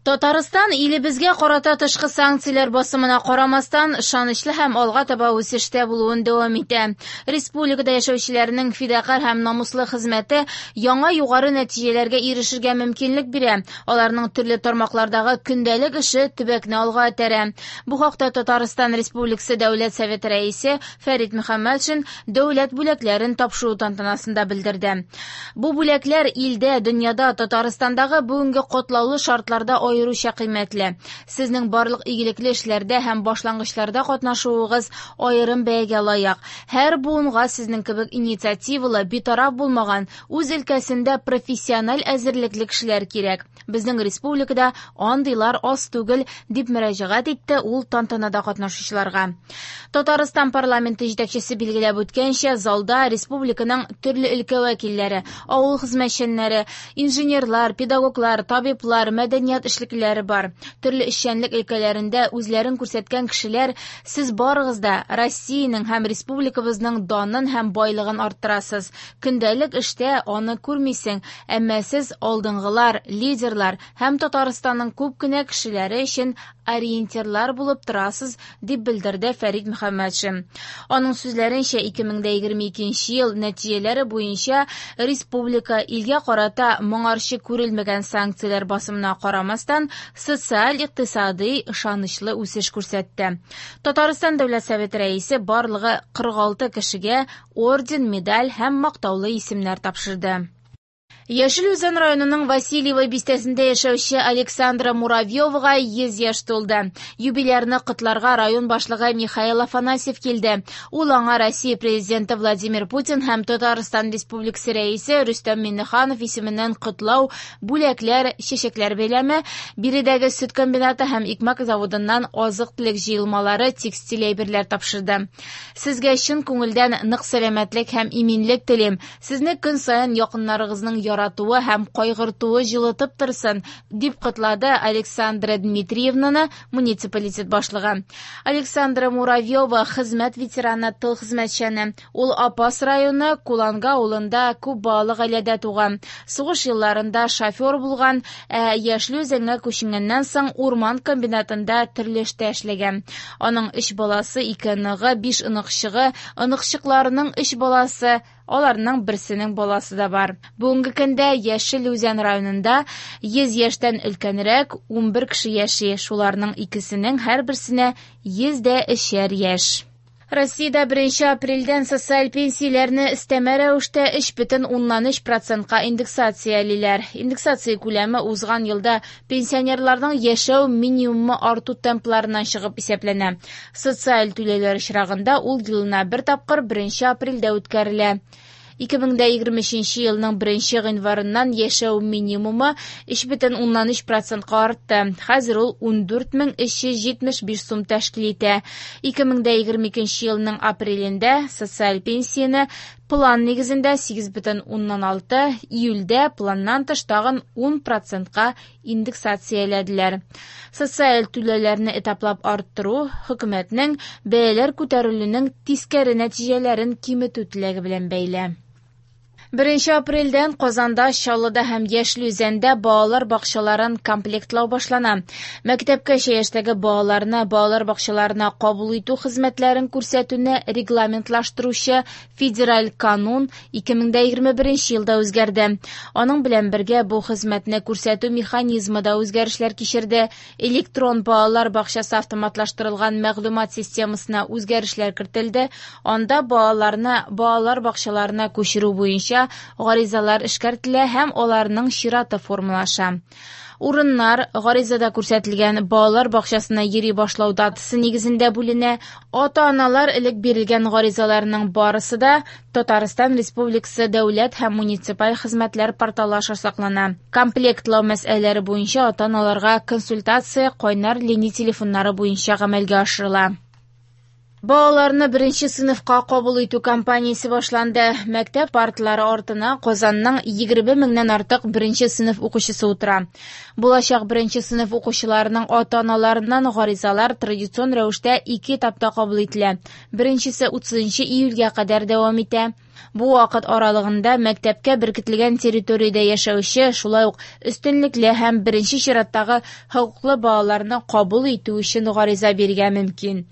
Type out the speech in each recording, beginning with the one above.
Татарстан илебезгә карата тышкы санкцияләр басымына карамастан, ышанычлы һәм алга таба үсештә булуын дәвам итә. Республикада яшәүчеләрнең фидакарь һәм намуслы хезмәте яңа югары нәтиҗәләргә ирешергә мөмкинлек бирә. Аларның төрле тармаклардагы көндәлек эше төбәкне алга этәрә. Бу хакта Татарстан Республикасы Дәүләт Советы Рәисе Фәрит Мөхәммәтшин дәүләт бүләкләрен тапшыру тантанасында белдерде. Бу бүләкләр илдә, дөньяда, Татарстандагы бүгенге катлаулы шартларда аеруча кыйммәтле. Сезнең барлык игелекле эшләрдә һәм башлангычларда катнашуыгыз аерым бәягә лаек. Һәр буынга сезнең кебек инициативалы, битараф булмаган, үз өлкәсендә профессиональ әзерлекле кешеләр кирәк. Безнең республикада андыйлар аз түгел, дип мөрәҗәгать итте ул тантанада катнашучыларга. Татарстан парламенты җитәкчесе билгеләп үткәнчә, залда республиканың төрле өлкә вәкилләре, авыл хезмәтчәннәре, инженерлар, педагоглар, табиблар, мәдәният эшлеклеләре бар. Төрле эшчәнлек өлкәләрендә үзләрен күрсәткән кешеләр, сез барыгыз да Россиянең һәм республикабызның данын һәм байлыгын арттырасыз. Көндәлек эштә аны күрмисең, әмма сез алдынгылар, лидерлар һәм Татарстанның күп кенә кешеләре өчен ориентирлар булып торасыз, дип белдерде Фәрит Мөхәммәтшин. Аның сүзләренчә, 2022 ел нәтиҗәләре буенча республика илгә карата моңарчы күрелмәгән санкцияләр басымына карамастан, социаль-икътисадый ышанычлы үсеш күрсәтте. Татарстан Дәүләт Советы рәисе барлыгы 46 кешегә орден, медаль һәм мактаулы исемнәр тапшырды. Яшел Үзән районының Васильево бистәсендә яшәүче Александра Муравьевага 100 яшь тулды. Юбилярны котларга район башлыгы Михаил Афанасьев килде. Ул аңа Россия президенты Владимир Путин һәм Татарстан Республикасы рәисе Рөстәм Миңнеханов исеменнән котлау, бүләкләр, чәчәкләр бәйләме, биредәге сөт комбинаты һәм икмәк заводыннан азык-төлек җыелмалары, текстиль әйберләр тапшырды. Сезгә чын күңелдән нык сәламәтлек һәм иминлек телим. Сезне көн саен якыннарыгызның яратуы һәм кайгыртуы җылытып торсын, дип котлады Александра Дмитриевнаны муниципалитет башлыгы. Александра Муравьева хезмәт ветераны, тыл хезмәтчәне. Ул Апас районы Куланга авылында күп балалы гаиләдә туган. Сугыш елларында шофер булган, ә Яшел Үзәнгә күченгәннән соң урман комбинатында төрле эштә эшләгән. Аның 3 баласы, 2 оныгы, 5 оныкчыгы, оныкчыкларының 3 баласы, аларның берсенең баласы да бар. Бүгенге көндә Яшел Үзән районында 100 яшьтән өлкәнрәк 11 кеше яши. Шуларның икесенең һәрберсенә 103 яшь. Россиядә 1 апрельдән социаль пенсияләрне өстәмә рәвештә 3,3%-ка индексациялиләр. Индексация күләме узган елда пенсионерларның яшәү минимумы арту темпларыннан чыгып исәпләнә. Социаль түләүләр очрагында ул елына бер тапкыр 1 апрельдә үткәрелә. 2023 елның 1 гыйнварыннан яшәү минимумы 3,3%-ка артты. Хәзер ул 14375 сум тәшкил итә. 2022 елның апрелендә социаль пенсияне план нигезендә 8,6, июльдә планнан тыш тагын 10%-ка индексацияләделәр. Социаль түләүләрне этаплап арттыру хөкүмәтнең бәяләр күтәрелүнең тискәре нәтиҗәләрен киметү теләге белән бәйле. 1 апрельдән Казанда, Чаллыда һәм Яшел Үзәндә балалар бакчаларын комплектлау башлана. Мәктәпкәчә яшьтәге балаларны балалар бакчаларына кабул итү хезмәтләрен күрсәтүне регламентлаштыручы федераль канун 2021 елда үзгәрде. Аның белән бергә бу хезмәтне күрсәтү механизмы да үзгәрешләр кичерде. Электрон балалар бакчасы автоматлаштырылган мәгълүмат системасына үзгәрешләр кертелде. Анда балаларны балалар бакчаларына күчерү буенча гаризалар эшкәртелә һәм аларның чираты формалаша. Урыннар гаризада күрсәтелгән балалар бакчасына йөри башлау датасы нигезендә бүленә. Ата-аналар элек бирелгән гаризаларның барысы да Татарстан Республикасы дәүләт һәм муниципаль хезмәтләр порталы аша саклана. Комплектлау мәсьәләләре буенча ата-аналарга консультация кайнар линия телефоннары буенча гамәлгә ашырыла. Балаларны беренче сыйныфка кабул итү кампаниясе башланды. Мәктәп парталары артына Казанның 20 меңнән артык беренче сыйныф укучысы утыра. Булачак беренче сыйныф укучыларының ата-аналарыннан гаризалар традицион рәвештә 2 этапта кабул ителә. Беренчесе 30 июльгә кадәр дәвам итә. Бу вакыт аралыгында мәктәпкә беркетелгән территориядә яшәүче, шулай ук өстенлекле һәм беренче чираттагы хокуклы балаларны кабул итү өчен гариза бирергә мөмкин.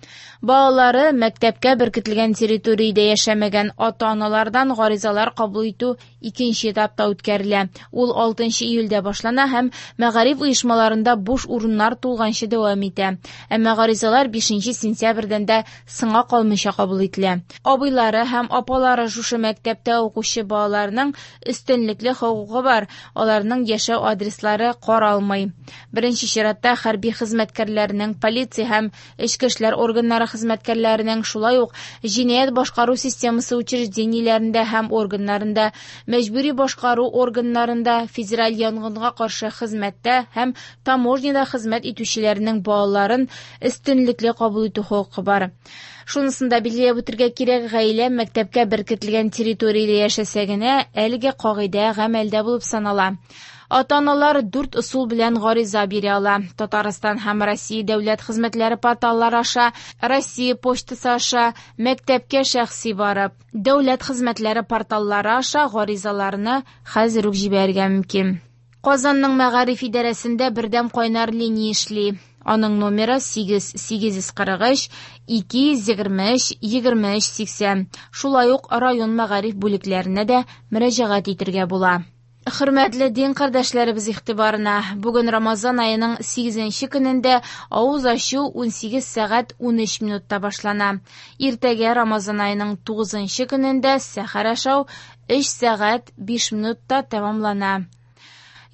Балалары мәктәпкә беркетелгән территориядә яшәмәгән ата-аналардан гаризалар кабул итү икенче этапта үткәрелә. Ул 6 июльдә башлана һәм мәгариф оешмаларында буш урыннар тулганчы дәвам итә. Әмма гаризалар 5 сентябрьдән дә соңга калмыйча кабул ителә. Абыйлары һәм апалары шушы мәктәптә укучы балаларның өстенлекле хокукы бар, аларның яшәү адреслары каралмый. Беренче чиратта хәрби хезмәткәрләрнең, полиция һәм эчке эшләр органнары хезмәткәрләренең, шулай ук җинаять башкару системасы учреждениеләрендә һәм органнарында, мәҗбүри башкару органнарында, федераль янгынга каршы хезмәттә һәм таможняда хезмәт итүчеләрнең балаларын өстенлекле кабул итү хокукы бар. Шунысын да билгеләп үтергә кирәк, гаилә мәктәпкә беркетелгән территориядә яшәсә генә, әлеге кагыйдә гамәлдә булып санала. Ата-аналар 4 ысул белән гариза бирә ала. Татарстан һәм Россия дәүләт хезмәтләре порталлары аша, Россия почтасы аша, мәктәпкә шәхси барып, дәүләт хезмәтләре порталлары аша гаризаларны хәзер үк җибәрергә мөмкин. Казанның мәгариф идарәсендә бердәм кайнар линия эшли. Аның номеры 8 843 223 23 80. Шулай ук район мәгариф бүлекләренә дә мөрәҗәгать итергә була. Хөрмәтле дин кардәшләребез игътибарына, бүген Рамазан аеның 8 көнендә авыз ачу 18 сәгать 13 минутта башлана. Иртәгә Рамазан аеның 9 көнендә сәхәр ашау 3 сәгать 5 минутта тәмамлана.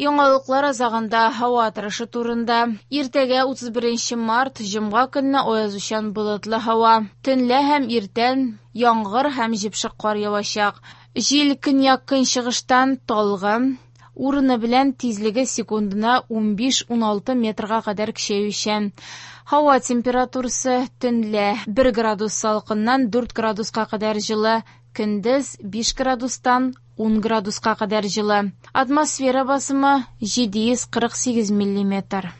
Яңалыклар азагында һава торышы турында. Иртәгә 31 март, җомга көнне аязучан болытлы һава. Төнлә һәм иртән яңгыр һәм җепшек кар явачак. Җил көньяк-көнчыгыштан талгын, урыны белән тизлеге секундына 15-16 метрга кадәр көчәючән. Һава температурасы төнлә 1 градус салкыннан 4 градуска кадәр җылы, көндез 5 градустан 10 градуска кадәр җылы. Атмосфера басымы 748 миллиметр.